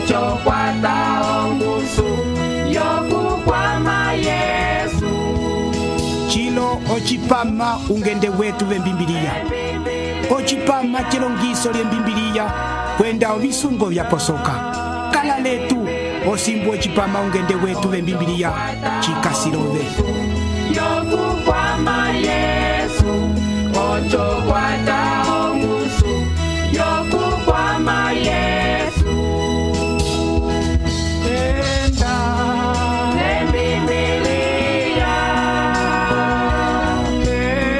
ocho kwata ongusu yokukwama Yesu. Chilo ochipama ungende wetu vembimbiliya. Ochipama chilongiso lyembimbiliya kwenda ovisungo vyaposoka. Kala letu osimbu ochipama ungende wetu vembimbiliya chikasilove. Yokukwama Yesu, ocho kwata ongusu yokukwama Yesu. Enda lembimbiliya,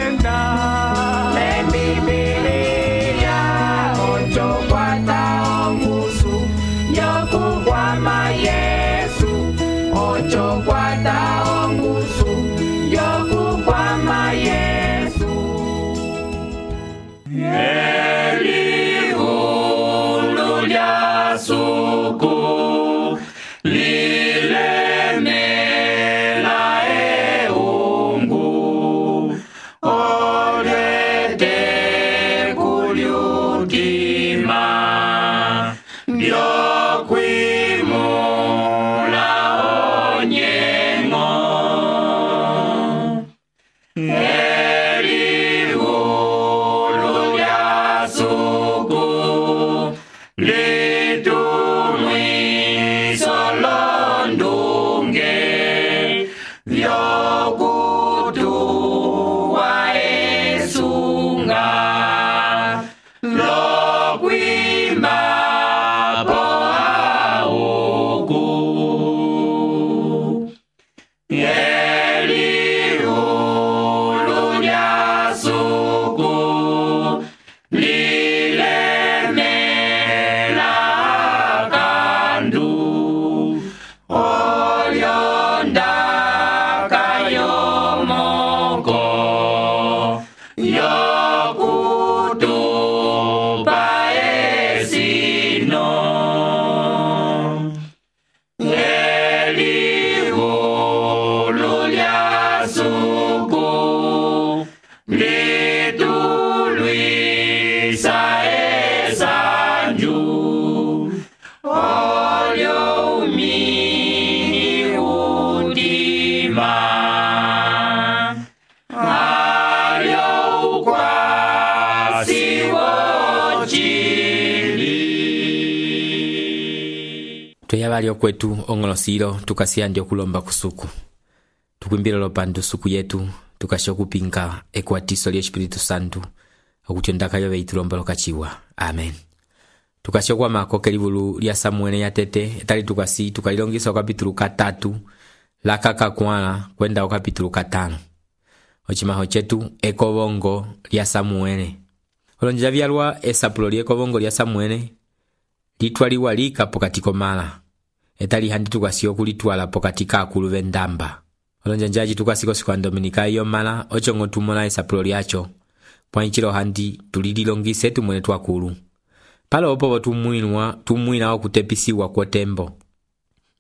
enda lembimbiliya, ocho kwata ongusu yokukwama Yesu, ocho kwata ongusu yokukwama Yesu. Elihulu lya suku lilemela eungu olwete kulyutima lyokwimula onyengo. Elihulu lya suku litumwiso londunge vyokutuwa esunga lokwimba po auku. Elihulu lya suku lilemela kandu olyonda kayomoko yokutupa esino. Elihulu lya suku litulwisa esanju olyo umini udima alyo ukwasi wochili. Tuyavali okwetu ongolosilo tukasiya ndi okulomba kusuku. Tukwimbila lopandu suku yetu tukasha okupinga ekwatiso lya Espiritu Santu okuti ondaka veitulomba lokachiwa. Amen. Tukasha okwamako kelivulu lya Samuele ya tete etali tukasi tukalilongisa okapitulu 3 lakakakwala kwenda okapitulu 5. Ochimaho chetu ekovongo lya Samuele. Olonja vyalwa esapulo lya ekovongo lya Samuele litwaliwa lika pokati komala etali handi tukasi okulitwala pokati kakulu vendamba. Olonja njaji tukasiko sikwa Dominika iyo mala ochongo tumona esapulo lyacho pwanchilo handi tulililongise tumwene twakulu. Palo opo tumwina okutepisiwa kwa tembo.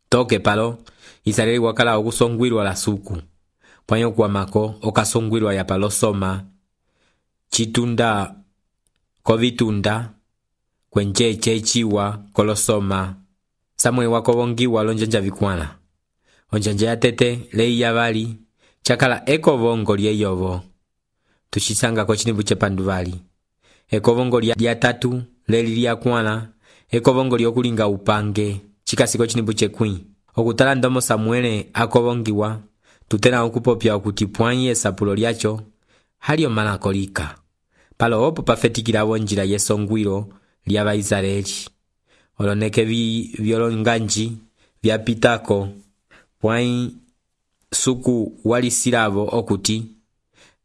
Toke palo Israeli wakala okusongwirwa la suku. Pwanyo kwa mako okasongwirwa ya palo soma chitunda kovitunda kwencheche chiwa kolosoma. Samuel wakovongiwa lonjanja vikwana. Onjanja ya tete lei yavali chakala ekovongo lye yovo. Tushisanga kochinibu chepanduvali. Ekovongo lya tatu leli lya kwana ekovongo lyokulinga upange chikasiko chinibu chekwi. Okutala ndomo Samuele akovongiwa tutena okupopya okuti pwanyi esapulo lyacho halio malakolika. Palo opo pafetikila njira yesongwiro lya Baisraeli. Oloneke vyolonganji vyapitako pwanyi suku walisilavo okuti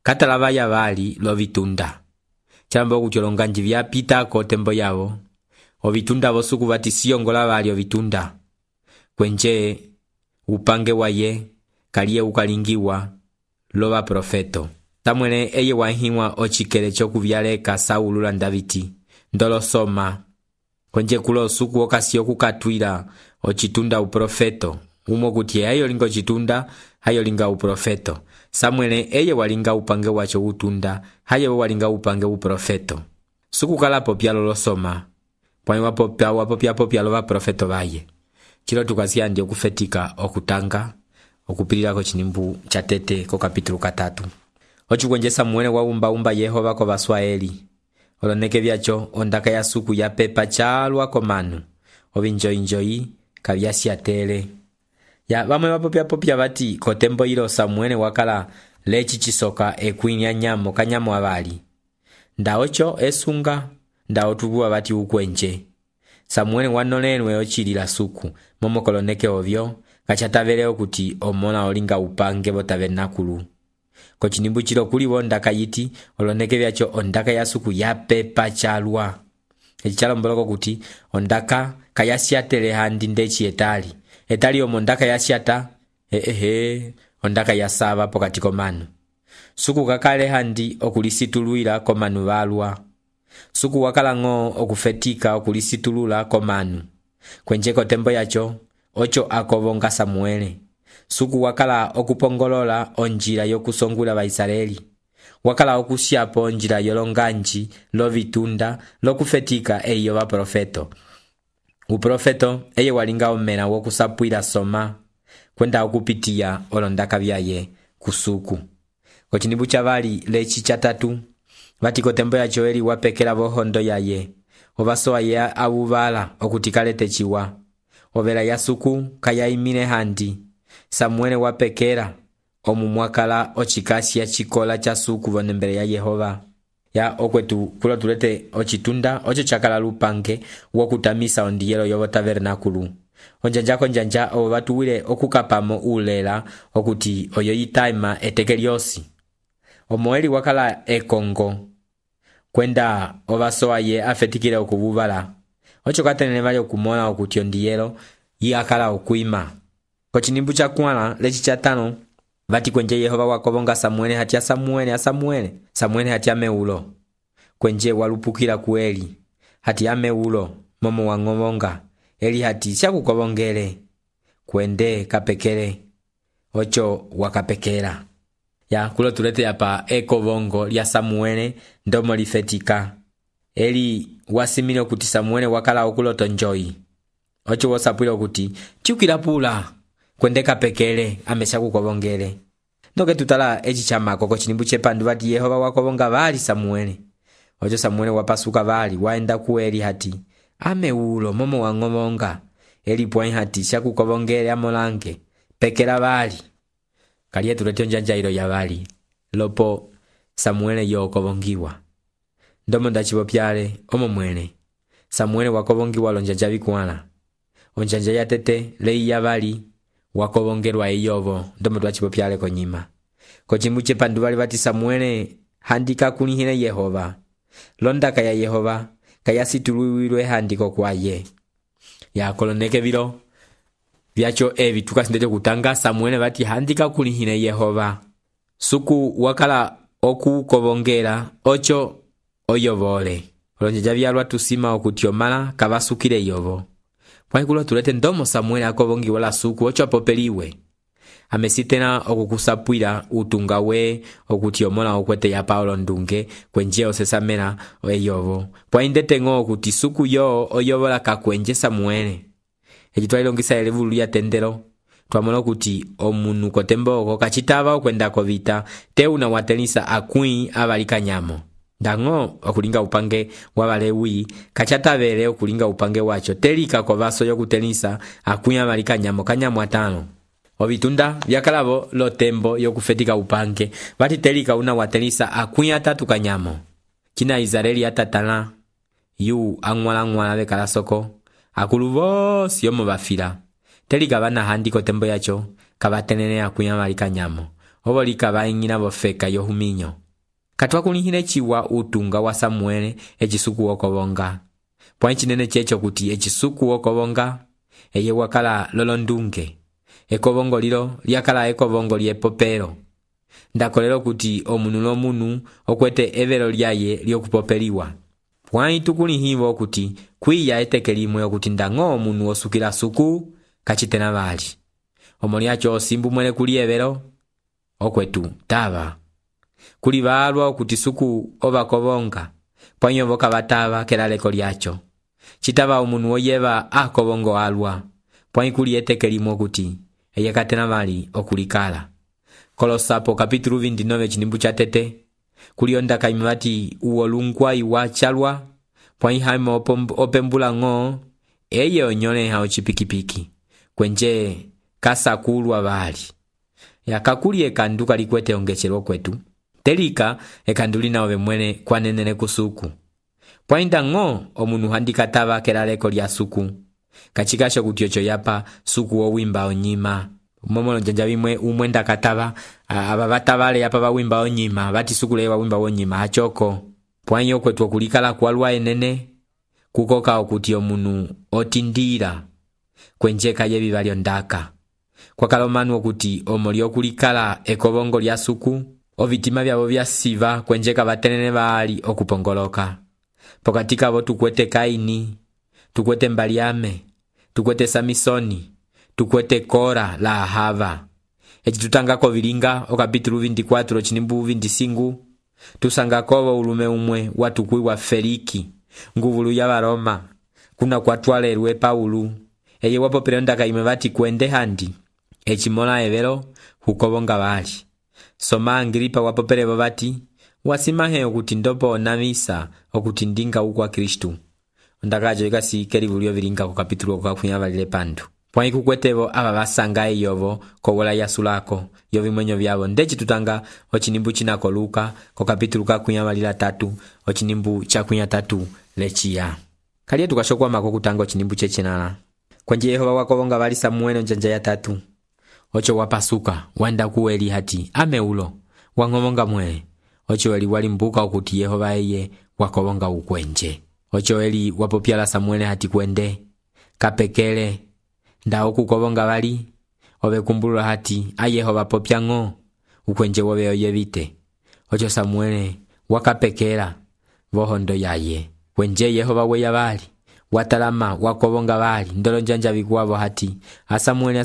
katalava yavali lovitunda. Chambo okuti olonganji vyapitako tembo yavo ovitunda vosuku vatisiyongola vali ovitunda. Kwenje upange waye kaliye ukalingiwa lova profeto. Samuele eye wahiwa ochikele chokuvyaleka Saulu la Davidi ndolosoma. Kwenje kulo suku okasiyo kukatwila ochitunda uprofeto. Umo kuti ayo linga ochitunda hayo linga uprofeto. Samuele eye walinga upange wacho utunda hayo walinga upange uprofeto. Suku kalapo pyalo losoma pwai wapopya lo baprofeto baye. Chilo tukasiya ndi okufetika okutanga okupililako chinimbu cha tete ko kapitulu 3. Ochikwenje Samuele waumba Yehova ko Baswaeli. Oloneke byacho ondaka ya suku ya pepa chalwa komanu. Obinjoyi kabyasiatele. Ya bamwe bapopya bati kotembo ilo Samuele wakala lechi chisoka ekwinya nyamo kanyamo abali. Ndaocho esunga ndaotubuwa bati ukwenje. Samuele wanolelwe ochilila suku momokoloneke ovyo kachatavelewo kuti omona olinga upange bo tabernakulu. Ko chinimbu chilo kuliwo ondaka yiti oloneke byacho ondaka ya suku ya pepa chalwa. Echi chalomboloko kuti ondaka kayasiatele handi ndechi etali omo ondaka yasiata ondaka yasaba pokati komanu. Suku kakale handi okulisituluila komanu balwa. Suku wakala ngo okufetika okulisitulula komanu. Kwenje kotembo yacho ocho akobonga Samuele. Suku wakala okupongolola onjila yokusongula Baisraeli. Wakala okusyapo onjila yolonganji lovitunda lokufetika eyo baprofeto. Uprofeto eye walinga omena wokusapwila soma kwenda okupitiya olondaka byaye kusuku. Kochinimbu cha bali lechi cha 3 bati kotembo ya Joeli wapekela bohondo yaye. Obasoa ye abubala okutikalete chiwa. Obela ya suku kayaimile handi. Samuele wapekela omumwakala ochikasi ya chikola cha suku bonembele ya Yehova. Ya okwetu kulo tulete ochitunda ocho chakala lupange wokutamisa ondiyelo yobo tabernakulu. Onjanja obo batuwile okukapamo ulela okuti oyo yitaima etekeliosi. Omoeli wakala ekongo kwenda obasoa ye afetikile okububala. Ocho katenene bali okumona okuti ondiyelo yakala okuima. Kochinimbu cha kwala lechi cha 5 bati kwenje Yehova wakobonga Samuele hatia Samuele hatia meulo. Kwenje walupukila kueli hatia meulo momo wangobonga. Eli hati shakukobongele kwende kapekele ocho wakapekela. Ya kulo tulete yapa ekobongo lya Samuele ndomo lifetika. Eli wasimile okuti Samuele wakala okuloto njoyi. Ocho wasapwile okuti chukila pula kwende kapekele amesha kukobongele. Ndoke tutala echi chamako kochinimbu chepandu bati Yehova wakobonga bali Samuele. Ocho Samuele wapasuka bali waenda kueli hati ameulo momo wangobonga. Eli pwai hati shakukobongele amolange pekela bali. Kaliye tulete onjanja ilo ya bali lopo Samuele yo okobongiwa. Ndomo ndachibopyale omo mwene Samuele wakobongiwa lonjanja bikwala. Onjanja ya tete lei ya bali wakobongelwa eyobo ndomo twachibopyale konyima. Kochimbu chepandu bali bati Samuele handika kunihile Yehova. Londaka ya Yehova kayasituluilwe handiko kwaye. Ya koloneke bilo byacho ebi tukasindete kutanga Samuele bati handika kunihile Yehova. Suku wakala okukobongela ocho oyobole. Olonjeja byalwa tusima okutiomala kabasukile yobo. Pwaikulo tulete ndomo Samuele akobongiwa la suku ocho apopeliwe. Amesitena okukusapwila utunga we okutiomola okwete ya Paulo ndunge kwenje osesamela eyobo. Pwaindete ngo okuti suku yo oyobola kakwenje Samuele. Eji twalilongisa elevulu ya tendero. Twamona okuti omunu kotembo kachitaba okwenda kovita teuna watelisa akui abalika nyamo. Dango okulinga upange wabalewi kachatabele okulinga upange wacho telika kwa baso yokutelisa akui abalika nyamo kanyamo 5. Obitunda byakalabo lo tembo yokufetika upange bati telika una watelisa akui 3 kanyamo. Kina Israeli atatala yu angwala bekala soko akulubo siyomo bafila. Telika bana handiko tembo yacho kabatenene akui abalika nyamo. Obolika baingina bofeka yohuminyo. Katwa kunihile chiwa utunga wa Samuele ejisuku okobonga. Pwanchi nene checho kuti ejisuku okobonga eye wakala lolondunge. Ekobongo lilo lyakala ekobongo lyepopero. Ndakolelo kuti omunu okwete evero lyaye lyokupopeliwa. Pwanyi tukunihivo kuti kwiya etekelimwe okuti ndango omunu osukila suku kachitena bali. Omolyacho simbu mwele kuli evero okwetu taba. Kuli balwa okuti suku obakobonga. Pwanyo boka bataba kelaleko lyacho. citava omunu woyeva akovongo alwa, pwãyi kuli eteke limwe okuti eye katena vali okulikala. Kolosapo kapitulu 29 cinimbu ca tete kuli ondaka imwe vati uwolungwa iwa calwa, pwãyi haime opembula ng'o eye onyoleha ocipikipiki kwenje kasakulwa vali. Kakuli ekandu kalikwete ongecelwa kwetu telika ekandu lina ove mwene kwanenele kusuku, pwãyi ng'o omunu handikatava kelaleko lya suku kacikasho kuti oco yapa suku wowimba onyima. Momolo njanja vimwe umwe ndakatava ava vatavale yapa vawimba onyima vati suku leye wawimba wonyima hachoko. Pwãyi okwetu okulikala kwalwa enene kukoka okuti omunu otindira kwenje kaye vivali ondaka. Kwakala omanu okuti omoli okulikala ekovongo lya suku ovitima vyavo vyasiva kwenje kavatenene vali okupongoloka. Pokati kavo tukwete Kaini, tukwete Mbaliame, tukwete Samisoni, tukwete Kora la Ahava. Eci tutangako vilinga okapitulu 24 cinimbu 25 tusangakovo ulume umwe watukwiwa Feliki nguvulu ya Varoma kuna kwatwalerwe Paulu eye wapopele ondaka imwe vati kwende handi ecimola evelo hukovonga vali. Soma Agripa wapopelevo vati wasimahe okuti ndopo onamisa okuti ndinga ukwa Kristu. Ondakajo ikasi kelivulio vilinga ku kapitulu okakunya valile pandu. Pwãyi kukwetevo ava vasanga eyovo kowola yasulako yovimwenyo vyavo ndeci tutanga ocinimbu cinako Luka ko kapitulu kakunya valila 3 ocinimbu cakunya 3 leciya. Kaliye tukashokwamako kutanga ocinimbu cecenala kwenje Yehova wakovonga vali Samuele njanja ya 3 oco wapasuka wanda kuweli hati ameulo wang'omonga mwele oco eli walimbuka okuti Yehova eye wakovonga ukwenje. Oco eli wapopyala Samuele hati kwende kapekele nda okukovonga vali ove kumbulula hati a Yehova popya ng'o ukwenje wove oyevite. Oco Samuele wakapekela vohondo yaye kwenje Yehova weya vali watalama wakovonga vali ndolo njanja vikuwavo hati a Samuele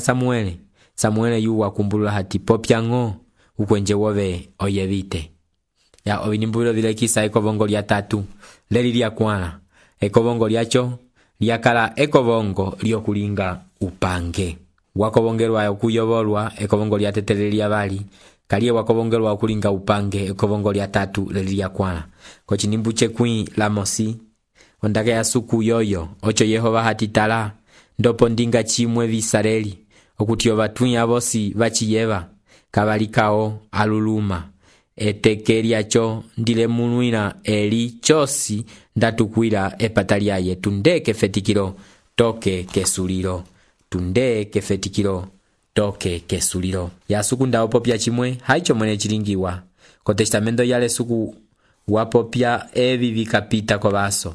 Samuele yu wakumbulula hati popya ng'o ukwenje wove oyevite. Ya ovinimbulilo vilekisa ekovongo lya 3 leli lya kwala ekovongo lyacho lyakala ekovongo lyokulinga upange. Wakovongelwa okuyovolwa ekovongo lya tetele lya vali kaliye wakovongelwa okulinga upange ekovongo lya 3 leli lya kwala. Kocinimbu cekwi la mosi ondaka ya suku yoyo oco Yehova hati tala ndopo ndinga chimwe visareli okuti ovatwinya vosi vaciyeva kavalikao aluluma eteke lyacho ndilemunwila eli chosi ndatukwila epata lyaye tunde kefetikilo toke kesulilo tunde kefetikilo toke kesulilo. Ya suku ndawopopya chimwe haicho mwene chilingiwa ko testamento yale suku wapopya evi vikapita kovaso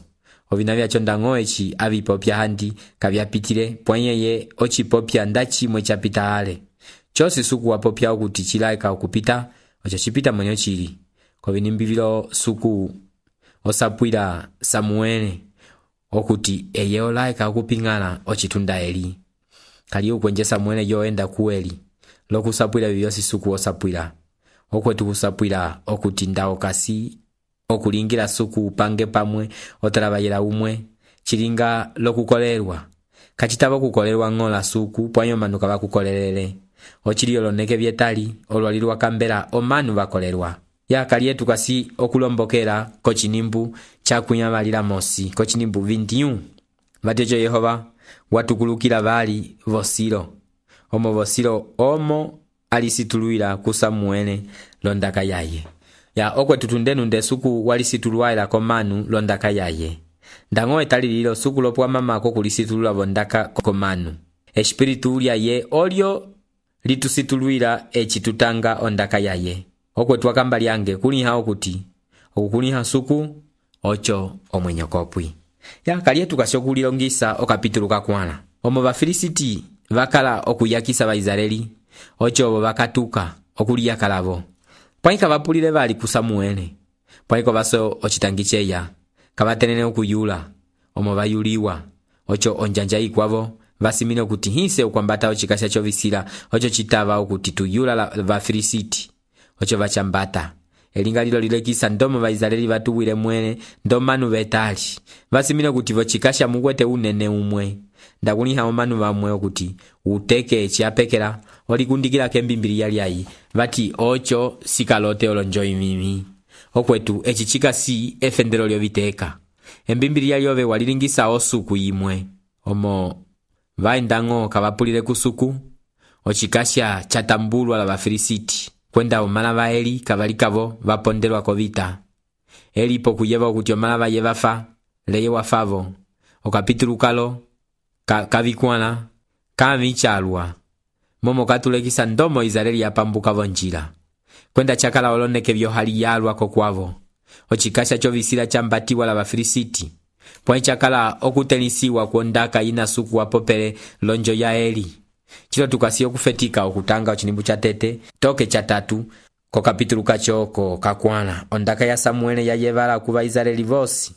ovina vyacho ndang'o eci avipopya handi kavyapitile pwanyeye ocipopya nda chimwe chapita ale chosi suku wapopya okuti chilaika okupita oco cipita mwenyo chili kovinimbivilo suku osapwila Samuele okuti eye olaika okuping'ala ocitunda eli kaliye ukwenje Samuele yoenda kueli lokusapwila vivyosi suku osapwila okwetu kusapwila okuti nda okasi okulingila suku upange pamwe otalabayela umwe chilinga lokukolelwa kacitava okukolelwa ng'ola suku pwanyo manu kavakukolelele ochili oloneke vyetali olwalilwa kambela omanu vakolelwa. Ya kaliye tukasi okulombokela kocinimbu cakunya valila mosi kocinimbu 21 vatyeco Yehova watukulukila vali vosilo omo vosilo omo alisitulwila ku Samuele londaka yaye. Ya okwetu tundenu nde suku walisitulwaila komanu londaka yaye ndang'o etali lilo suku lopwa mamako kulisitulula vondaka komanu espiritu lyaye olyo litusitulwila eci tutanga ondaka yaye. Okwetu wakamba lyange kuliha okuti okukuliha suku oco omwenyo kopwi. Ya kaliye tukasi okulilongisa okapitulu kakwala omo Bafilisiti vakala okuyakisa Baisraeli oco obo vakatuka okuliyakalavo pwãyi kavapulile vali ku Samuele pwãyi kovaso ocitangi ceya kavatenene okuyula omo vayuliwa oco onjanja ikwavo vasimile okuti hise ukwambata ocikasya covisila oco citava okuti tuyula la Bafilisiti oco vacambata elinga lilo lilekisa ndomo Vaisraeli vatuwile mwene ndomanu vetali vasimile kuti vocikasha mukwete unene umwe ndakuliha omanu vamwe okuti uteke chiapekela olikundikila kembimbiliya lyayi vati ocho sikalote olonjoyi mimi okwetu eci cikasi efendelo lyoviteka embimbiliya lyove walilingisa osuku imwe omo vaendang'o kavapulile kusuku ocikasha catambulwa la Vafilisiti kwenda omala va Eli kavalikavo vapondelwa kovita Elipo kuyeva okuti omala vaye vafa leye wafavo okapitulu kalo kavikwala kamichalwa momo katulekisa ndomo Israeli yapambuka vonjila kwenda chakala oloneke vyohali yalwa kokwavo ocikasha chovisila chambatiwa la Vafilisiti pwa chakala okutenisiwa kuondaka ina suku wapopele lonjo ya Eli chilo tukasi okufetika okutanga ochinimbu cha tete toke cha tatu ko kapitulu kachoko kakwala ondaka ya Samuele ya yevala ku Vaisraeli vosi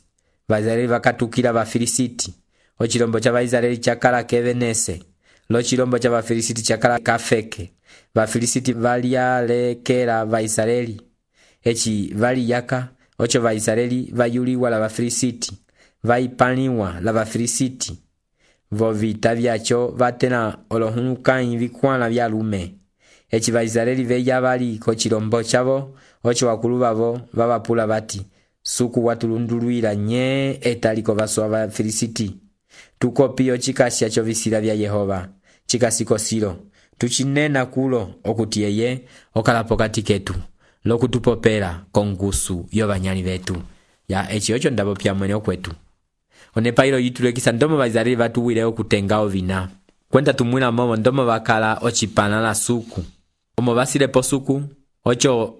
Vaisraeli vakatukila Vafilisiti ochilombo cha Vaisraeli chakala kevenese lo chilombo cha Vafilisiti chakala kafeke Vafilisiti valialekela Vaisraeli echi valiyaka ocho Vaisraeli vayuliwa la Vafilisiti vaipaniwa la Vafilisiti vovita vyacho vatena olohunukanyi vikwala vyalume echi Vaisraeli veya vali ko chilombo chavo ocho wakulu vavo vavapula vati suku watulundulwila nye etaliko vaswa Vafilisiti tukopio chikasya chovisila vya Yehova chikasiko silo tuchinena kulo okuti yeye okalapo kati ketu lokutupopela kongusu yovanyali vetu ya echi ocho ndabo pya mwene okwetu onepailo yitulekisa ndomo Vaisraeli vatuwile okutenga ovina kwenda tumwila momo ndomo vakala ochipana la suku omo vasilepo suku ocho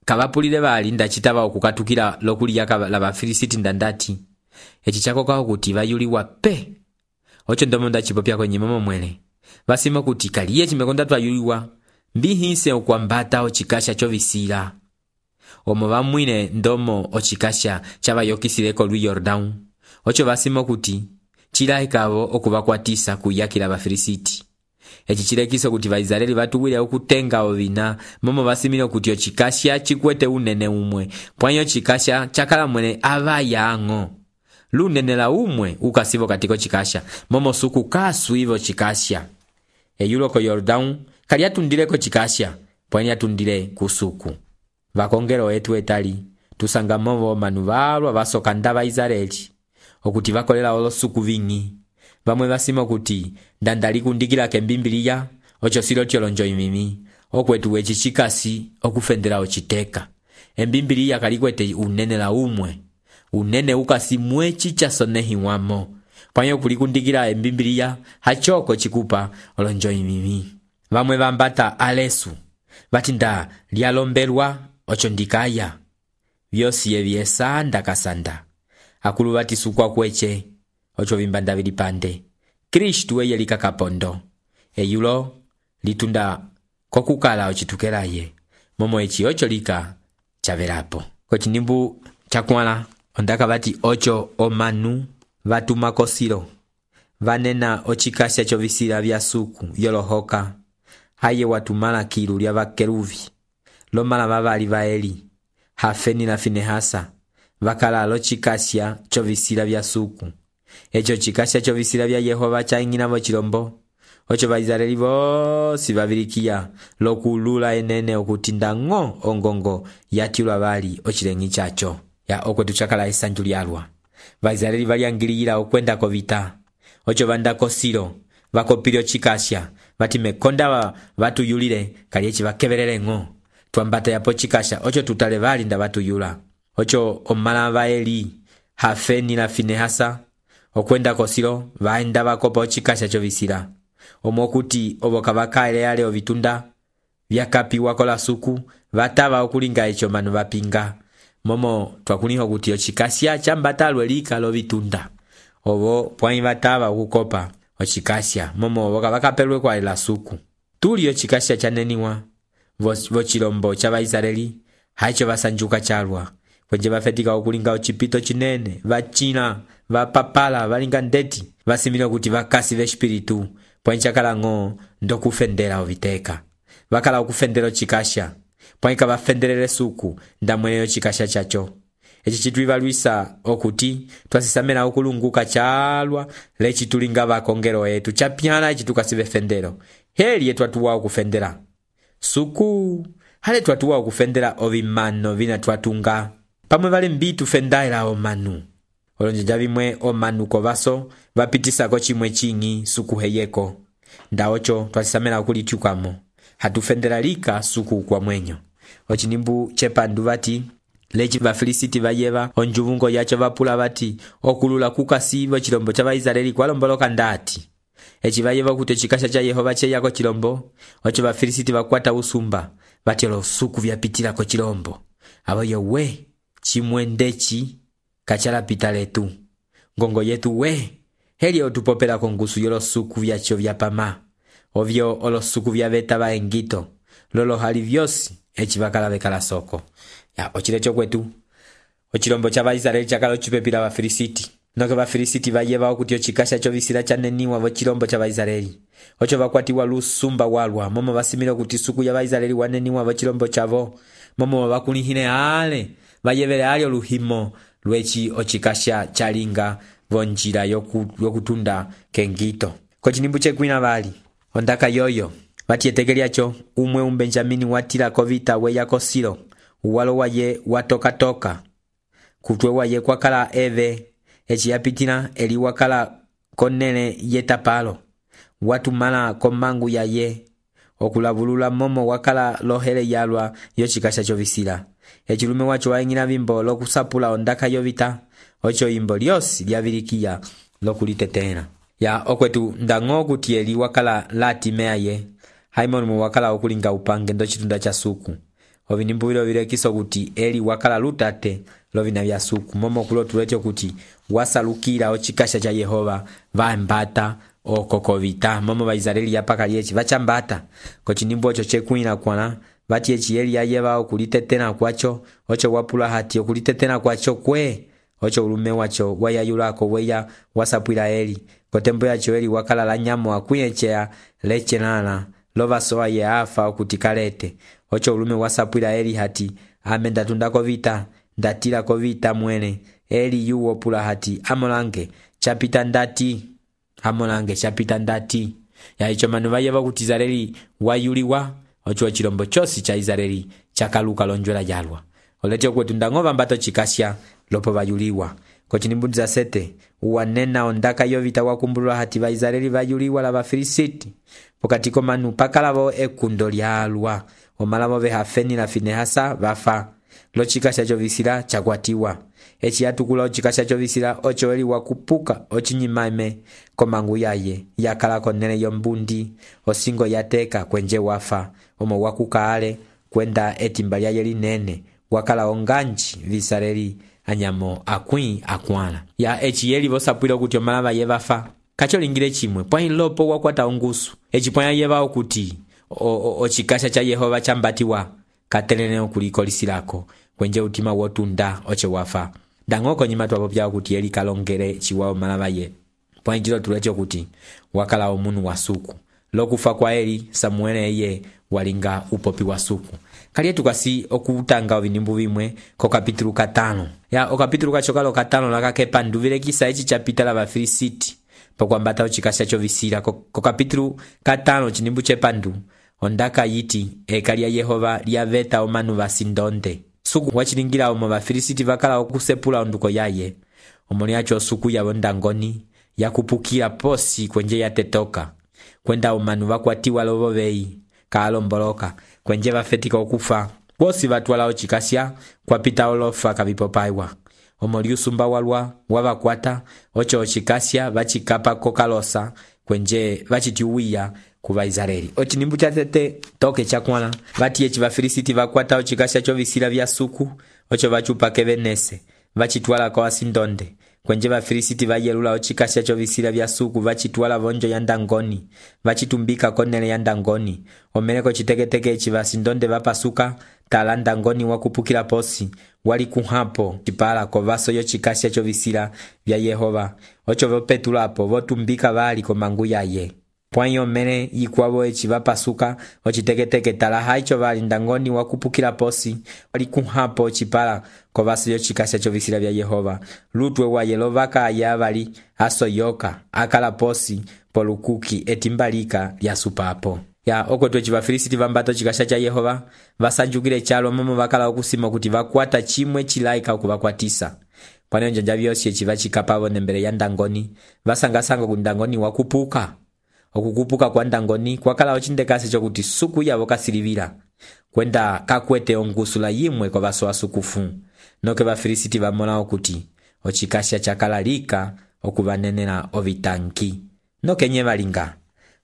kavapulile vali ndachitava okukatukila lokuliyaka la Vafilisiti ndandati echi chakoka okuti vayuliwa pe ocho ndomo ndachipopya kwenye momo mwele vasima kuti kaliye chimekonda twayuliwa mbihinse okwambata ochikasha chovisila omo vamwine ndomo ochikasha chavayokisile lwi Yordão ocho vasima kuti chilahikavo okuvakwatisa kuyakila Vafilisiti echi chilekiso kuti Vaisraeli vatuwile okutenga ovina momo vasimile kuti ochikasha chikwete unene umwe pwanyo chikasha chakala mwene avayang'o lunene la umwe ukasivo katiko chikasha momo suku kaswivo chikasha eyulo ko Yordão kali atundileko chikasha pwani atundile kusuku vakongelo etu etali tusanga movo manu valwa vasokanda Vaisraeli okuti vakolela olosuku vingi vamwe vasima kuti ndandali kundikila kembimbiliya ocho silo tyolonjo imimi okwetu wechi chikasi okufendela ochiteka embimbiliya kalikwete unene la umwe unene ukasi mwechi chasonehiwamo pwanyo kulikundikila embimbiliya hachoko chikupa olonjo imimi vamwe vambata alesu vatinda lyalombelwa ocho ndikaya vyosiye vyesa ndakasanda akulu vati sukwa kweche ocho vimbanda vilipande Kristu eye likakapondo eyulo litunda kokukala ochitukelaye momo echi ocho lika chavelapo kochinimbu chakwala ondaka vati ocho omanu vatuma kosilo vanena ochikasha chovisila vya suku yolohoka haye watumala kilu lya vakeruvi lomala vavali va Eli Hafeni na Finehasa vakala lo chikasya chovisila vya suku echo chikasya chovisila vya Yehova chaingina vo chilombo ocho Vaisraeli vosi vavilikiya lokulula enene okutinda ng'o ongongo yatilwa vali ochilengi chacho ya okwetu chakala esanju lyalwa Vaisraeli valyangiliyila okwenda kovita ocho vandako silo vakopile chikasya vati mekonda vatuyulile kali echi vakebelele ng'o twambata yapo chikasha ocho tutale vali nda vatuyula ocho omala va Eli Hafeni na Finehasa okwenda kosilo vaenda vakopa ochikasha chovisila omokuti oboka vakaele yale ovitunda vyakapiwa kola suku vatava okulinga echo manu vapinga momo twakuliho kuti ochikasya chambata lwelika lovitunda ovo pwanyi vatava okukopa ochikasya momo oboka vakapelwe kwa la suku tuli ochikasya chaneniwa vochilombo cha Vaisraeli haicho vasanjuka chalwa kwenje vafetika okulinga ochipito chinene vachina vapapala valinga ndeti vasimile kuti vakasi vespiritu pwanyi chakala ng'o ndokufendela oviteka vakala okufendela ochikasya pwaika bafendelele suku ndamweleyo chikasha chacho. Eci chitwibalwisa okuti twasisamela okulunguka chalwa lechi tulinga bakongelo etu chapyana eci tukasibe fendelo. Heli etwatuwa okufendela suku hale twatuwa okufendela ovimano vina twatunga pamwe vale mbitu fendaila omanu olonjeja bimwe omanu kovaso bapitisako chimwe chingi suku heyeko ndaocho twasisamela okulityukamo hatufendela lika suku kwa mwenyo. Ochinimbu chepandu bati lechi bafilisiti bayeba onjuvungo yacho bapula bati okulula kukasibo chilombo cha Baisraeli kwalomboloka ndati eci bayeba kuti chikasha cha Yehova cheyako chilombo ocho bafilisiti bakwata usumba bati lo suku vyapitila ko chilombo abo yowe chimwendechi kachala pita letu ngongo yetu we heli otupopela kongusu yolo suku vyacho vyapama ovyo olo suku vyabeta baengito lolo hali vyosi eci bakala bekala soko ya ochilecho kwetu ochilombo cha Baisraeli chakalo chipepila bafilisiti noke bafilisiti bayeba okuti ochikasha cho bisila chaneniwa vo chilombo cha Baisraeli ocho bakwatiwa lusumba walwa momo basimira okuti suku ya Baisraeli waneniwa vo chilombo chavo momo bakulihine ale bayebele ali oluhimo lwechi ochikasha chalinga vonjira yokutunda kengito kochinimbu chekwina bali ondaka yoyo batietekelyacho umwe umbenjamini watila kovita weyako Silo uwalo waye watoka kutwe waye kwakala eve eci yapitila eli wakala konene yetapalo watu mala komangu yaye okulabulula momo wakala lohele yalwa yochikasha chovisila echilume wacho waingina bimbo lokusapula ondaka yovita ocho imbo lyosi lyabilikia lokulitetena ya okwetu ndango kuti eli wakala lati meaye haimoni mu wakala okulinga upange ndo chitunda cha suku ovinimbuwilo vilekiso kuti eli wakala lutate lovina vya suku momo kulo tulecho kuti wasalukila ochikasha cha Yehova vambata okokovita momo Baisraeli yapaka liechi vachambata kochinimbu ocho chekwina kwana bati echi eli ayeba okulitetena kwacho ocho wapula hati okulitetena kwacho kwe ocho ulume wacho wayayulako weya wasapwila eli kotembo yacho eli wakala la nyamo akuyechea lechenana lova soa ye afa okutikalete ocho ulume wasapwila eli hati amenda tundako vita ndatila kovita mwene eli yuwo pula hati amolange chapita ndati ya icho manu bayeba kuti Israeli wayuliwa ocho chilombo chosi cha Israeli chakaluka lonjwela jalwa olete kwetu ndangova mbato chikasya lopo bayuliwa kochinimbundi za sete uwanena ondaka yovita wakumbulwa hati ba Israeli bayuliwa la bafilisiti pokatiko manu pakalavo ekundo lyalwa omalavo behafeni la Finehasa bafa lo chikasha chovisila chakwatiwa eci yatukula ochikasha chovisila ocho eli wakupuka ochinyimaime komangu yaye yakala konene yombundi osingo yateka kwenje wafa omo wakukaale kwenda etimba lyaye linene wakala onganji Visareli anyamo akwana ya eci yeli vosapwila kuti omalava yevafa kacho lingile chimwe pwahi lopo wakwata ongusu eci pwaya yeva okuti ochikasha cha Yehova chambatiwa katelene okulikolisirako kwenje utima wotunda oche wafa dangoko nyima twapopya kuti yeli kalongere chiwao malava ye pwahi jilo tulecho kuti wakala omunu wa suku lokufa kwa eli Samuele eye walinga upopi wa suku kali tukasi okutanga ovinimbu bimwe ko kapitulu 5 ya okapitulu kachokalo 5 lakakepa nduvile kisa echi chapita la bafilisiti pokwambata ochikasha chovisila ko kapitulu 5 chinimbu chepandu ondaka yiti ekali ya Yehova lyaveta omanu basindonde suku wachilingira omo bafilisiti bakala okusepula onduko yaye omoni acho suku yabo ndangoni yakupukira posi kwenje yatetoka kwenda omanu bakwatiwa lobobei kalomboloka kwenje bafetika okufa bosi batwala ochikasya kwapita olofa kabipopaiwa omoli usumba walwa wabakwata ocho ochikasya bachikapa kokalosa kwenje bachitiuia kuba Israeli ochinimbu chatete toke chakwana bati echi bafilisiti bakwata ochikasya chovisila vya suku ocho bachupa kebenese bachitwala kwa asindonde kwenje bafilisiti bayelula ochikasya chovisila vya suku bachitwala vonjo ya ndangoni bachitumbika konele ya ndangoni omeleko chiteketeke echi basindonde bapasuka tala ndangoni wakupukila posi wali kuhapo chipala kovaso yo chikasya chovisila vya Yehova ocho vopetulapo votumbika bali komangu yaye pwayo mene yikwavo eci vapasuka ociteketeke tala haicho vali ndangoni wakupukila posi walikuhapo ocipala kovasi lyocikasya covisila vya Yehova lutwe waye lovakaya vali asoyoka akala posi polukuki etimbalika lyasupapo ya okwetu eci vafilisiti vambata ocikasya ca Yehova vasanjukile calo momo vakala okusima kuti vakwata cimwe cilaika okuvakwatisa pwane onjanja vyosi eci vacikapavo nembele ya ndangoni vasangasanga kuti ndangoni wakupuka okukupuka kwa ndangoni kwakala ocindekase cokuti suku yavo kasilivila kwenda kakwete ongusula yimwe kwa vaso asukufu noke vafilisiti vamola okuti ocikasya cakala lika okuvanenela ovitanki nokenye valinga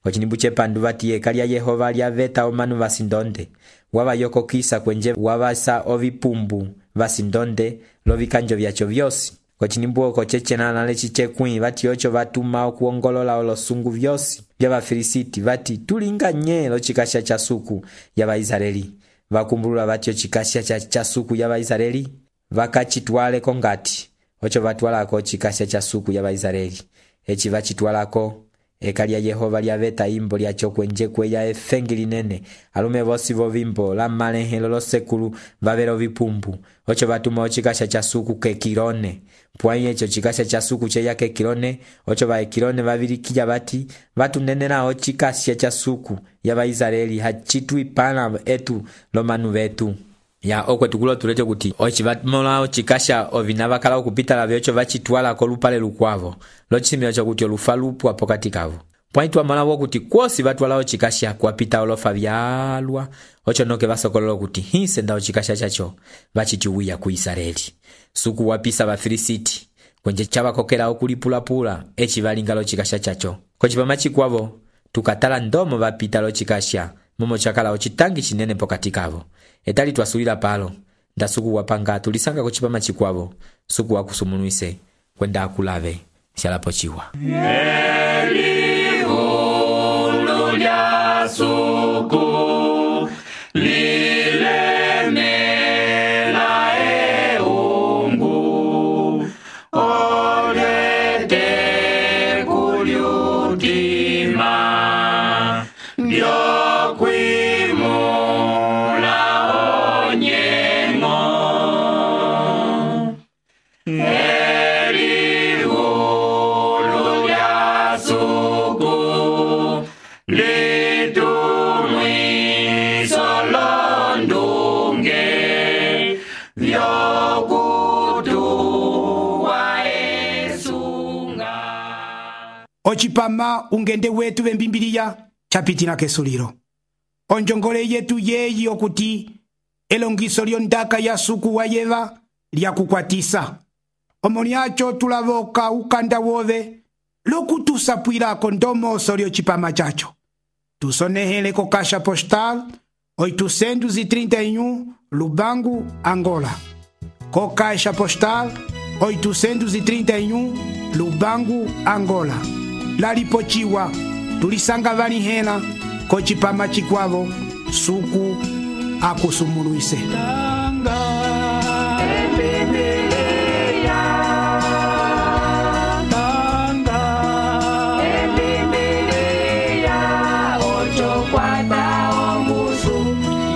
kocinimbu cepandu vati eka lya Yehova lyaveta omanu vasindonde wavayokokisa kwenje wavasa ovipumbu vasindonde lovikanjo vyaco vyosi kocinimbu oko cecenana leci cekwĩ vati oco vatuma okuongolola olosungu vyosi vya vafilisiti vati tulinga nye locikasya ca suku ya Vaisraeli vakumbulula vati ocikasya ca suku ya Vaisraeli vakacitwaleko ngati oco vatwalako ocikasya ca suku ya Vaisraeli eci vacitwalako eka lya Yehova lyaveta imbo lyaco kwenje kweya efengi linene alume vosi vovimbo la malehelo losekulu vavela ovipumbu oco vatuma ocikasya ca suku kekilone pwayi eco cikasya ca suku ceya kekilone oco vaekilone vavilikilya vati vatunenela ocikasya ca suku ya Vaisraeli hacitwipala etu lomanu vetu ya okwetu kulo tulecho kuti oci vamola ocikasya ovina vakala okupitala vyoco vacitwala kolupale lukwavo locisimila cokuti olufa lupwa pokati kavo pwayi twamola wokuti kwosi vatwala ocikasya kuapita olofa vyalwa oco noke vasokolola kuti hisenda ocikasya caco vaciciwiya ku Israeli suku wapisa vafilisiti kwenje cavakokela okulipulapula eci valinga locikasya caco kocipama cikwavo tukatala ndomo vapita locikasya momo cakala ocitangi cinene pokati kavo etali twasulila palo nda suku wapanga tulisanga kocipama cikwavo suku wakusumunuise kwenda akulave syalapo ciwa Elihulu lya suku lilemela eungu olete kulyutima lyokwimula onyengo Elihulu lya suku litumwiso londunge vyokutuwa esunga ocipama ungende wetu vembimbiliya capitila kesulilo onjongole yetu yeyi okuti elongiso lyondaka ya suku wayeva lyakukwatisa omo lyaco tulavoka ukanda wove lokutusapwilako ndomoso lyocipama caco tusonehele ko caixa postal 831 Lubangu, Angola ko caixa postal 831 Lubangu, Angola lalipociwa tulisanga valihela kocipama cikwavo suku akusumuluise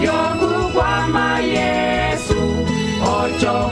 Yokukwama Yesu ocho